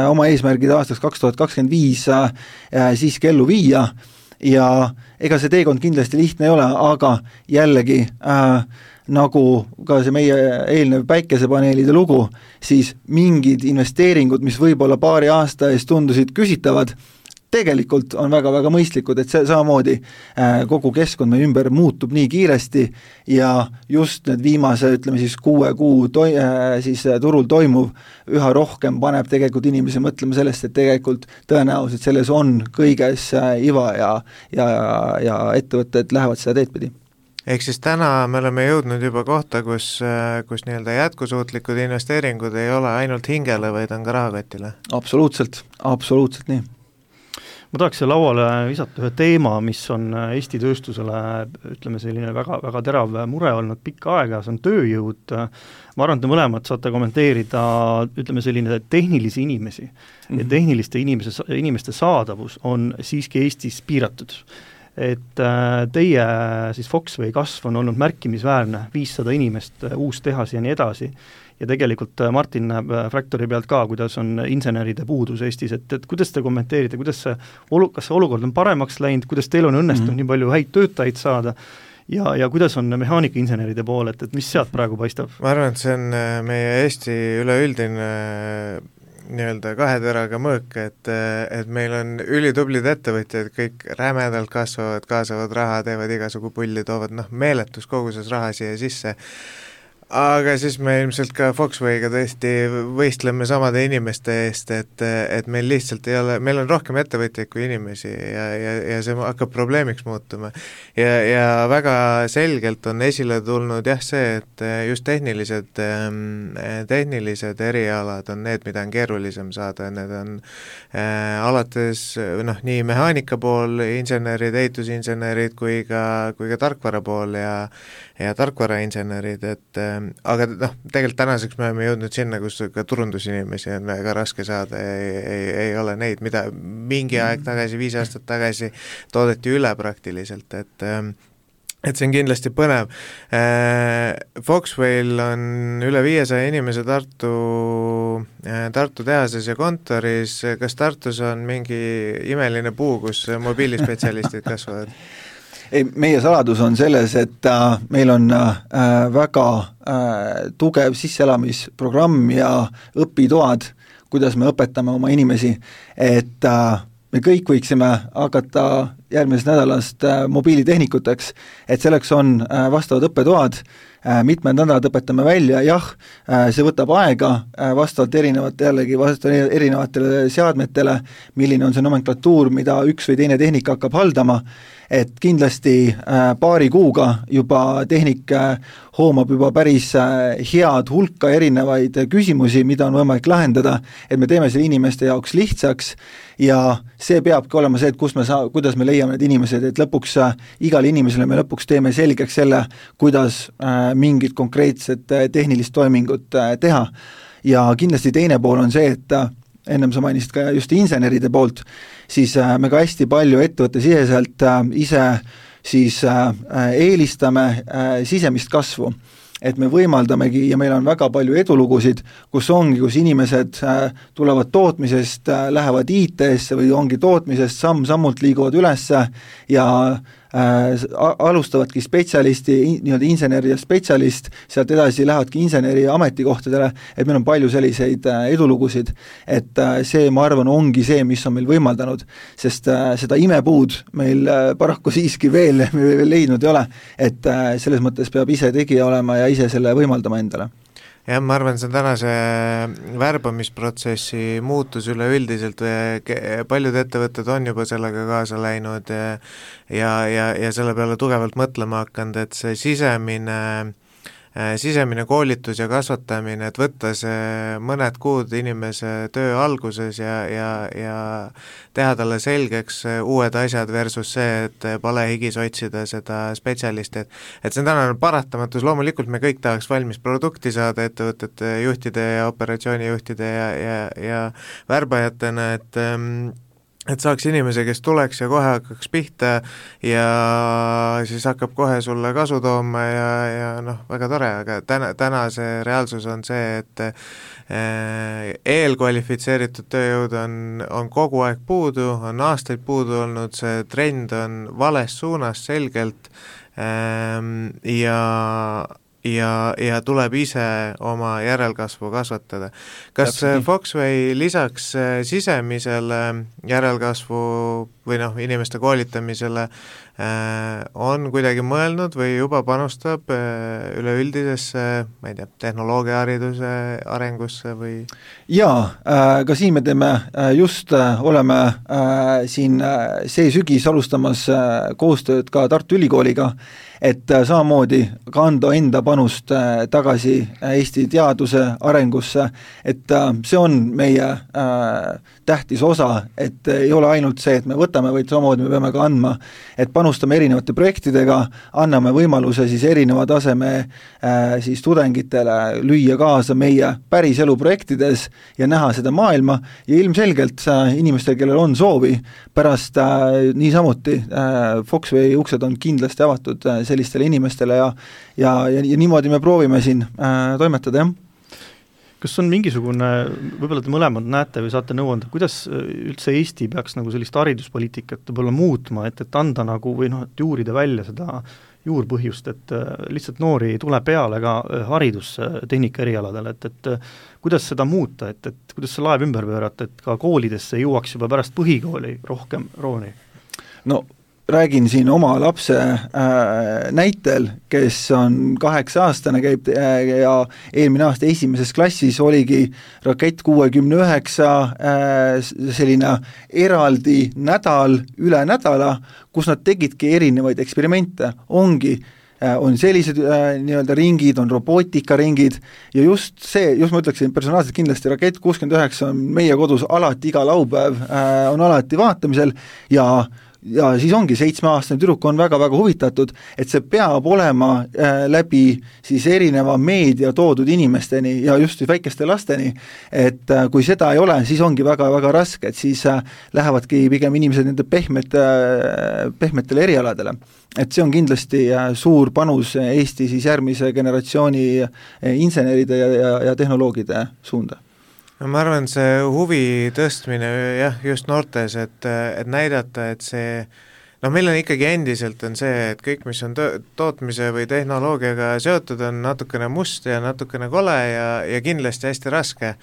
oma eesmärgid aastaks 2025 siiski ellu viia ja ega see teekond kindlasti lihtne ei ole, aga jällegi nagu ka see meie eelnev päikesepaneelide lugu, siis mingid investeeringud, mis võib-olla paari aasta eest tundusid küsitavad, tegelikult on väga-väga mõistlikud, et see samamoodi kogu keskkond meie ümber muutub nii kiiresti ja just need viimase, ütleme siis 6 kuu siis turul toimuv üha rohkem paneb tegelikult inimesi mõtlema sellest, et tegelikult tõenäoliselt selles on kõiges iva ja ettevõtted lähevad seda teed pidi. Ehk siis täna me oleme jõudnud juba kohta, kus nii-öelda jätkusuutlikud investeeringud ei ole ainult hingele, vaid on ka rahakotile? Absoluutselt nii. Ma tahaks siia lauale visata ühe teema, mis on Eesti tööstusele, ütleme selline väga, väga terav mure olnud pikka aega, see on tööjõud. Ma arvan, et mõlemad saate kommenteerida, ütleme selline tehnilisi inimesi ja tehniliste inimeste saadavus on siiski Eestis piiratud. Et teie siis Foxway kasv on olnud märkimisväärne, 500 inimest, uus tehas ja nii edasi. Ja tegelikult Martin näeb Fractory pealt ka, kuidas on inseneride puudus Eestis, et kuidas te kommenteerite, kas see olukord on paremaks läinud, kuidas teil on õnnestunud nii palju häid töötajaid saada ja kuidas on mehaanikainseneride pool, et mis sealt praegu paistab? Ma arvan, et see on meie Eesti üleüldine nii-öelda 2 teraga mõõk, et meil on ülitublid ettevõtjad, kõik rämedalt kasvavad, kaasavad raha, teevad igasugu pulli, toovad meeletus koguses raha siia sisse. Aga siis me ilmselt ka Foxway'ga tõesti võistleme samade inimeste eest, et meil lihtsalt ei ole, meil on rohkem ettevõtjaid kui inimesi ja see hakkab probleemiks muutuma. Ja väga selgelt on esile tulnud see, et just tehnilised erialad on need, mida on keerulisem saada, need on alates nii mehaanika pool, insenerid, ehitusinsenerid kui ka tarkvara pool ja tarkvarainsenerid, aga tegelikult tänaseks me oleme jõudnud sinna, kus ka turundusinimesi on väga raske saada, ei ole neid, mida mingi aeg tagasi, 5 aastat tagasi toodeti üle praktiliselt, et see on kindlasti põnev. Foxwayl on üle 500 inimese Tartu tehases ja kontoris, kas Tartus on mingi imeline puu, kus mobiilispetsialistid kasvavad? Meie saladus on selles, et meil on väga tugev sisseelamisprogramm ja õpitoad, kuidas me õpetame oma inimesi, et me kõik võiksime hakata järgmisest nädalast mobiilitehnikuteks, et selleks on vastavad õppetoad, mitmed nädalad õpetame välja, jah, see võtab aega vastavalt erinevatele seadmetele, milline on see nomenklatuur, mida üks või teine tehnik hakkab haldama, et kindlasti paari kuuga juba tehnik hoomab juba päris head hulka erinevaid küsimusi, mida on võimalik lahendada, et me teeme selle inimeste jaoks lihtsaks ja see peabki olema see, et kuidas me leiame need inimesed, et lõpuks igale inimesele me lõpuks teeme selgeks selle, kuidas mingit konkreetset tehnilist toimingut teha. Ja kindlasti teine pool on see, et ennem sa mainisid ka just inseneride poolt, siis me ka hästi palju ettevõtte siseselt ise siis eelistame sisemist kasvu, et me võimaldamegi ja meil on väga palju edulugusid, kus inimesed tulevad tootmisest, lähevad IT-sse või ongi tootmisest samm-sammult liiguvad üles ja alustavadki spetsialisti, nii-öelda insener ja spetsialist, sealt edasi lähevadki inseneri ametikohtadele, et meil on palju selliseid edulugusid, et see, ma arvan, ongi see, mis on meil võimaldanud, sest seda imepuud meil paraku siiski veel leidnud ei ole, et selles mõttes peab ise tegija olema ja ise selle võimaldama endale. Jah, ma arvan, see on tänase värbamisprotsessi muutus üleüldiselt, paljud ettevõtted on juba sellega kaasa läinud ja selle peale tugevalt mõtlema hakanud, et see sisemine koolitus ja kasvatamine, et võtta see mõned kuud inimese töö alguses ja teha talle selgeks uued asjad versus see, et palehigis otsida seda spetsialisti, et see on tänane paratamatus, loomulikult me kõik tahaks valmis produkti saada ettevõtete juhtide ja operatsioonijuhtide ja värbajatena, et saaks inimese, kes tuleks ja kohe hakkaks pihta ja siis hakkab kohe sulle kasu tooma ja noh, väga tore, aga täna see reaalsus on see, et eelkvalifitseeritud tööjõud on kogu aeg puudu, on aastaid puudu olnud, see trend on vales suunas selgelt ja tuleb ise oma järelkasvu kasvatada. Kas Foxway lisaks sisemisele järelkasvu või inimeste koolitamisele on kuidagi mõelnud või juba panustab üleüldisesse, ma ei tea, tehnoloogiahariduse arengusse või? Jaa, ka siin me teeme oleme siin see sügis alustamas koostööd ka Tartu Ülikooliga, et samamoodi kanda enda panust tagasi Eesti teaduse arengusse, et see on meie tähtis osa, et ei ole ainult see, et me võtame, vaid samamoodi me peame ka andma, et panustame erinevate projektidega, anname võimaluse siis erineva taseme siis tudengitele lüüa kaasa meie päris elu projektides ja näha seda maailma ja ilmselgelt inimestel, kellel on soovi, pärast niisamuti Foxway uksed on kindlasti avatud sellistele inimestele ja niimoodi me proovime siin toimetada, jah. Kas on mingisugune, võib-olla te mõlemad näete või saate nõu anda, kuidas üldse Eesti peaks nagu sellist hariduspoliitikat võib-olla muutma, et anda nagu või et juurida välja seda juurpõhjust, et lihtsalt noori ei tule peale ka haridustehnika erialadel, et kuidas seda muuta, et kuidas see laev ümber pöörata, et ka koolidesse jõuaks juba pärast põhikooli rohkem rooni? No räägin siin oma lapse näitel, kes on 8-aastane, käib ja eelmine aasta esimeses klassis oligi Rakett 69 selline eraldi nädal üle nädala, kus nad tegidki erinevaid eksperimente, on sellised nii-öelda ringid, on robootikaringid ja just ma ütleksin personaalselt kindlasti Rakett 69 on meie kodus alati iga laupäev on alati vaatamisel ja siis ongi 7-aastane tüdruk on väga-väga huvitatud, et see peab olema läbi siis erineva meedia toodud inimesteni ja just väikeste lasteni, et kui seda ei ole, siis ongi väga-väga raske, et siis lähevadki pigem inimesed nende pehmetele erialadele. Et see on kindlasti suur panus Eesti siis järgmise generatsiooni inseneride ja tehnoloogide suunda. Ma arvan, see huvi tõstmine jah, just noortes, et näidata, et see, meil on ikkagi endiselt on see, et kõik, mis on tootmise või tehnoloogiaga seotud, on natukene must ja natukene kole ja kindlasti hästi raske.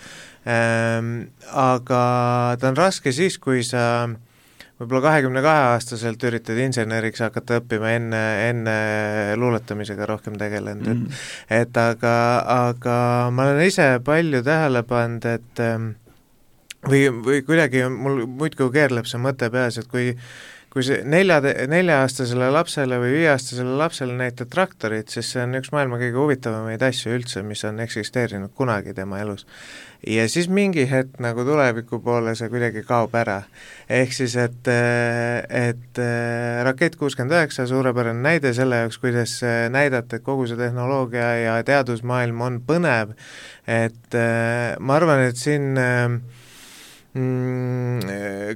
Aga ta on raske siis, kui sa võib-olla 22-aastaselt üritad inseneriks hakata õppima enne luuletamisega rohkem tegelenud, et aga ma olen ise palju tähele pannud, et või kuidagi mul muidku keerleb see mõte peas, et kui see 4-aastasele lapsele või 5-aastasele lapsele näitad traktorit, siis see on üks maailma kõige huvitavamaid asju üldse, mis on eksisteerinud kunagi tema elus. Ja siis mingi hetk nagu tuleviku poole see kuidagi kaob ära. Ehk siis, et Rakett 69 suurepärane näide selle jaoks, kuidas näidata, et kogu see tehnoloogia ja teadusmaailm on põnev, et ma arvan, et siin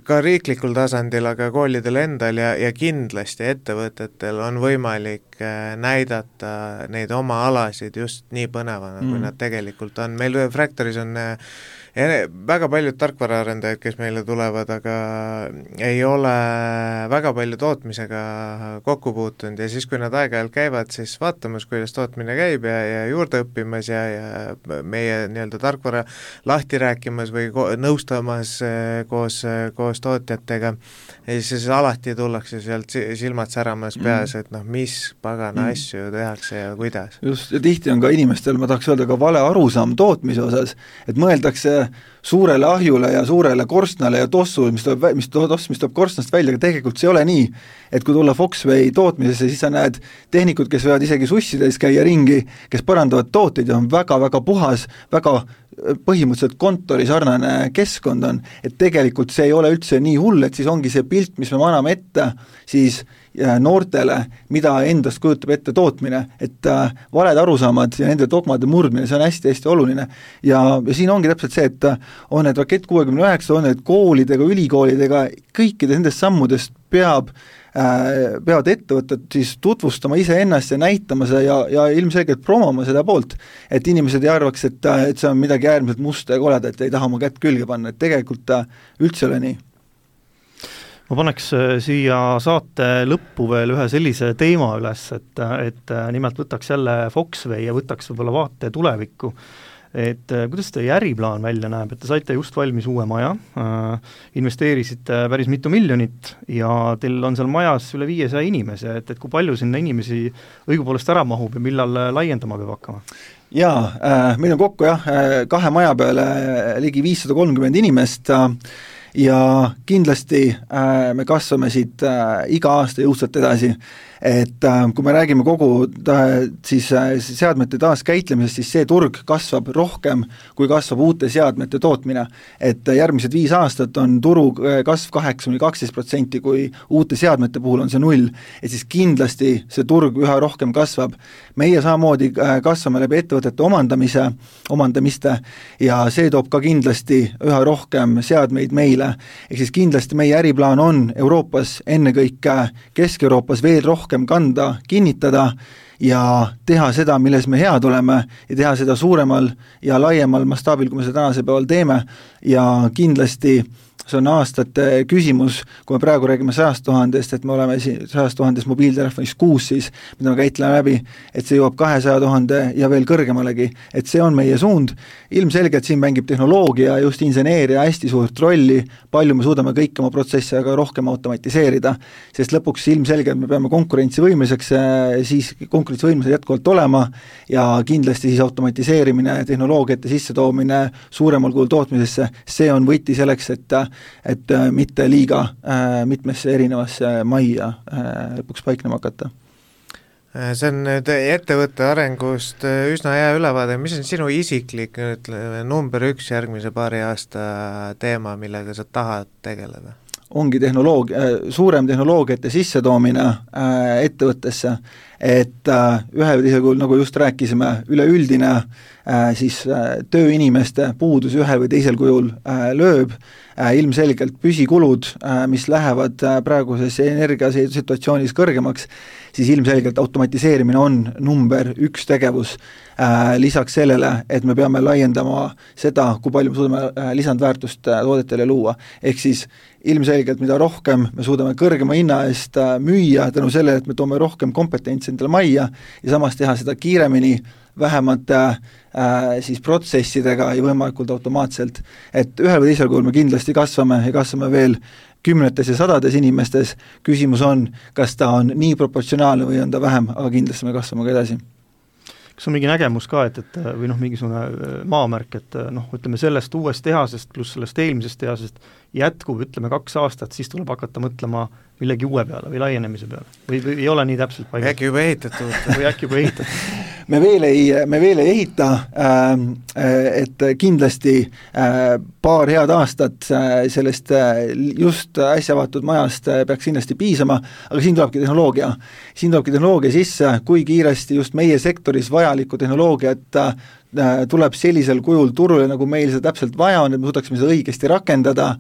ka riiklikul tasandil, aga koolidel endal ja kindlasti ettevõtetel on võimalik näidata neid oma alasid just nii põnevana, kui nad tegelikult on. Meil Fractoris on väga paljud tarkvaraarendajad, kes meile tulevad, aga ei ole väga palju tootmisega kokku puutunud ja siis, kui nad aeg-ajalt käivad, siis vaatamas, kuidas tootmine käib ja juurde õppimas ja meie nii-öelda tarkvara lahti rääkimas või nõustamas koos tootjatega ja siis alati tullakse sealt silmad säramas peas, et mis pagana asju tehakse ja kuidas. Just, ja tihti on ka inimestel, ma tahaks öelda, ka vale arusaam tootmise osas, et mõeldakse suurele ahjule ja suurele korstnale ja tossule, mis tuleb korstnast välja, aga tegelikult see ei ole nii, et kui tulla Foxway tootmisesse, siis sa näed tehnikud, kes võivad isegi sussides käia ringi, kes parandavad tooteid ja on väga-väga puhas, väga põhimõtteliselt kontori sarnane keskkond on, et tegelikult see ei ole üldse nii hull, et siis ongi see pilt, mis me anname ette, siis noortele, mida endast kujutab ette tootmine, et valed arusaamad ja nende dogmade murdmine, see on hästi-hästi oluline ja siin ongi täpselt see, et on need Rakett 69, on need koolidega, ülikoolidega, kõikidest nendest sammudest peavad ettevõtted siis tutvustama iseennast ja näitama seda ja ilmselgelt promoma seda poolt, et inimesed ei arvaks, et see on midagi äärmiselt musta ja koleda, et ei taha oma kätt külge panna, et tegelikult üldse ole nii. Ma paneks siia saate lõppu veel ühe sellise teema üles, et nimelt võtaks jälle Foxway ja võtaks võib-olla vaate tulevikku. Et kuidas teie äriplaan välja näeb, et te saite just valmis uue maja, investeerisite päris mitu miljonit ja teil on seal majas üle 500 inimese, et kui palju sinna inimesi õigupoolest ära mahub ja millal laiendama peab hakkama? Jaa, meil on kokku 2 maja peale ligi 530 inimest ja kindlasti me kasvame siit iga aasta jõudsalt edasi, et kui me räägime kogu siis seadmete taaskäitlemisest, siis see turg kasvab rohkem, kui kasvab uute seadmete tootmine, et järgmised 5 aastat on turu kasv 8-12%, kui uute seadmete puhul on see 0, et siis kindlasti see turg üha rohkem kasvab. Meie samamoodi kasvame läbi ettevõtete omandamiste ja see toob ka kindlasti üha rohkem seadmeid meile, ehk siis kindlasti meie äriplaan on Euroopas, ennekõike Kesk-Euroopas veel rohkem kanda, kinnitada ja teha seda, milles me head oleme ja teha seda suuremal ja laiemal mastaabil, kui me seda tänase päeval teeme ja kindlasti see on aastate küsimus, kui me praegu räägime 100 000, et me oleme 100 000 mobiiltelefonis 6 siis, mida me käitleme läbi, et see jõuab 200 000 ja veel kõrgemalegi, et see on meie suund. Ilmselgelt siin mängib tehnoloogia, just inseneeria hästi suurt rolli, palju me suudame kõik oma protsesse aga rohkem automatiseerida, sest lõpuks ilmselgelt me peame konkurentsivõimeliseks jätkuvalt olema ja kindlasti siis automatiseerimine, tehnoloogiate sissetoomine suuremal kujul tootmisesse, see on võti selleks, et mitte liiga mitmesse erinevasse majja lõpuks paiknema hakata. See on nüüd ettevõtte arengust üsna hea ülevaade, mis on sinu isiklik number 1 järgmise paari aasta teema, millega sa tahad tegeleda? Ongi suurem tehnoloogiate sissetoomine ettevõttesse, et ühe või teisel kujul, nagu just rääkisime, üleüldine siis tööinimeste puudus ühel või teisel kujul lööb, ilmselgelt püsikulud, mis lähevad praeguses energiasituatsioonis kõrgemaks, siis ilmselgelt automatiseerimine on number 1 tegevus. Lisaks sellele, et me peame laiendama seda, kui palju me suudame lisandväärtust toodetele luua. Ehk siis ilmselgelt, mida rohkem me suudame kõrgema hinna eest müüa tänu sellele, et me toome rohkem kompetentsi endale majja ja samas teha seda kiiremini, vähemate siis protsessidega ja võimalikult automaatselt. Et ühel või teisel kujul me kindlasti kasvame ja kasvame veel kümnetes ja sadades inimestes, küsimus on, kas ta on nii proportsionaalne või on ta vähem, aga kindlasti me kasvame ka edasi. Kas on mingi nägemus ka, et või mingisugune maamärk, et ütleme sellest uuest tehasest pluss sellest eelmisest tehasest jätkub, ütleme 2 aastat, siis tuleb hakata mõtlema millegi uue peale või laienemise peale või ei ole nii täpselt paigas? Äkki juba ehitatud. Või äkki juba ehitatud? Me veel ei ehita, et kindlasti paar head aastat sellest just äsja avatud majast peaks kindlasti piisama, aga siin tulebki tehnoloogia sisse, kui kiiresti just meie sektoris vajalikku tehnoloogiat tuleb sellisel kujul turule, nagu meil seda täpselt vaja on, et me suudaksime seda õigesti rakendada,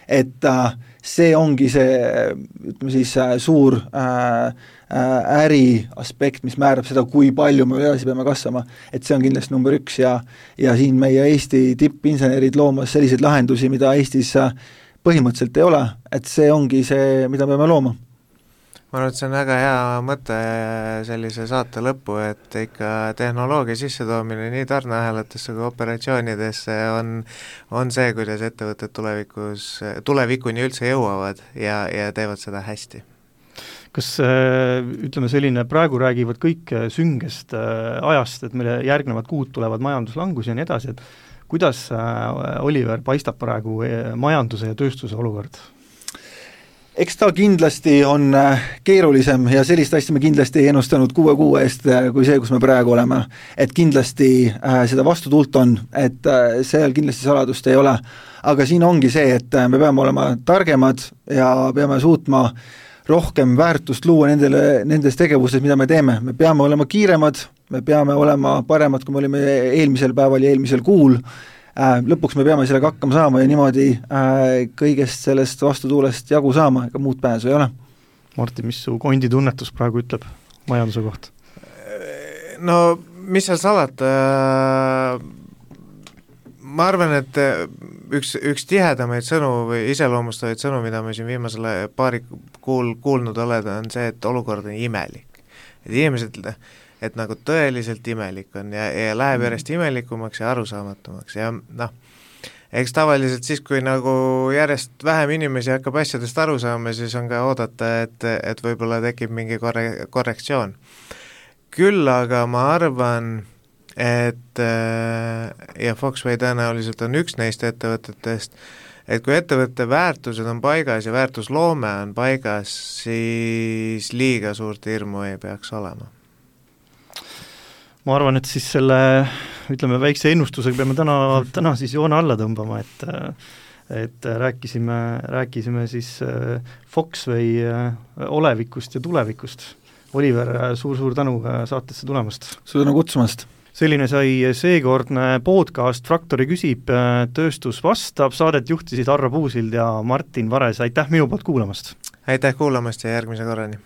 et see ongi see, ütleme siis, suur äri aspekt, mis määrab seda, kui palju me edasi peame kasvama. Et see on kindlasti number 1 ja siin meie Eesti tippinsenerid loomas selliseid lahendusi, mida Eestis põhimõtteliselt ei ole, et see ongi see, mida me peame looma. Ma arvan, et see on väga hea mõte sellise saate lõppu, et ikka tehnoloogia sissetoomine nii tarneahelatesse kui operatsioonidesse on see, kuidas ettevõtted tulevikuni üldse jõuavad ja teevad seda hästi. Kas ütleme selline, praegu räägivad kõik süngest ajast, et meile järgnevad kuud tulevad majanduslangus ja nii edasi, et kuidas, Oliver, paistab praegu majanduse ja tööstuse olukord? Eks ta kindlasti on keerulisem ja sellist asja me kindlasti ei ennustanud 6 kuu eest kui see, kus me praegu oleme. Et kindlasti seda vastutuult on, et seal kindlasti saladust ei ole. Aga siin ongi see, et me peame olema targemad ja peame suutma rohkem väärtust luua nendes tegevustes, mida me teeme. Me peame olema kiiremad, me peame olema paremad, kui me olime eelmisel päeval ja eelmisel kuul. Lõpuks me peame sellega hakkama saama ja niimoodi kõigest sellest vastutuulest jagu saama, ega muud pääsu ei ole. Martin, mis su konditunnetus praegu ütleb majanduse kohta? No, mis seal salata? Ma arvan, et üks tihedamaid sõnu või iseloomustavaid sõnu, mida me siin viimasele paari kuul kuulnud oleda, on see, et olukord on imelik. Et inimesed et nagu tõeliselt imelik on ja läheb järjest imelikumaks ja arusaamatumaks ja eks tavaliselt siis, kui nagu järjest vähem inimesi hakkab asjadest aru saama, siis on ka oodata, et võib-olla tekib mingi korrektsioon. Küll aga ma arvan, et ja Foxway tõenäoliselt on üks neist ettevõtetest, et kui ettevõtte väärtused on paigas ja väärtusloome on paigas, siis liiga suurt hirmu ei peaks olema. Ma arvan, et siis selle, ütleme, väikse ennustusega peame täna siis joone alla tõmbama, et rääkisime siis Foxway olevikust ja tulevikust. Oliver, suur tänu saatesse tulemast. Suur tänu kutsumast. Selline sai seekordne podcast Fraktori küsib, tööstus vastab, saadet juhtisid Arra Puusild ja Martin Vares. Aitäh minu poolt kuulamast! Aitäh kuulamast ja järgmise korrani!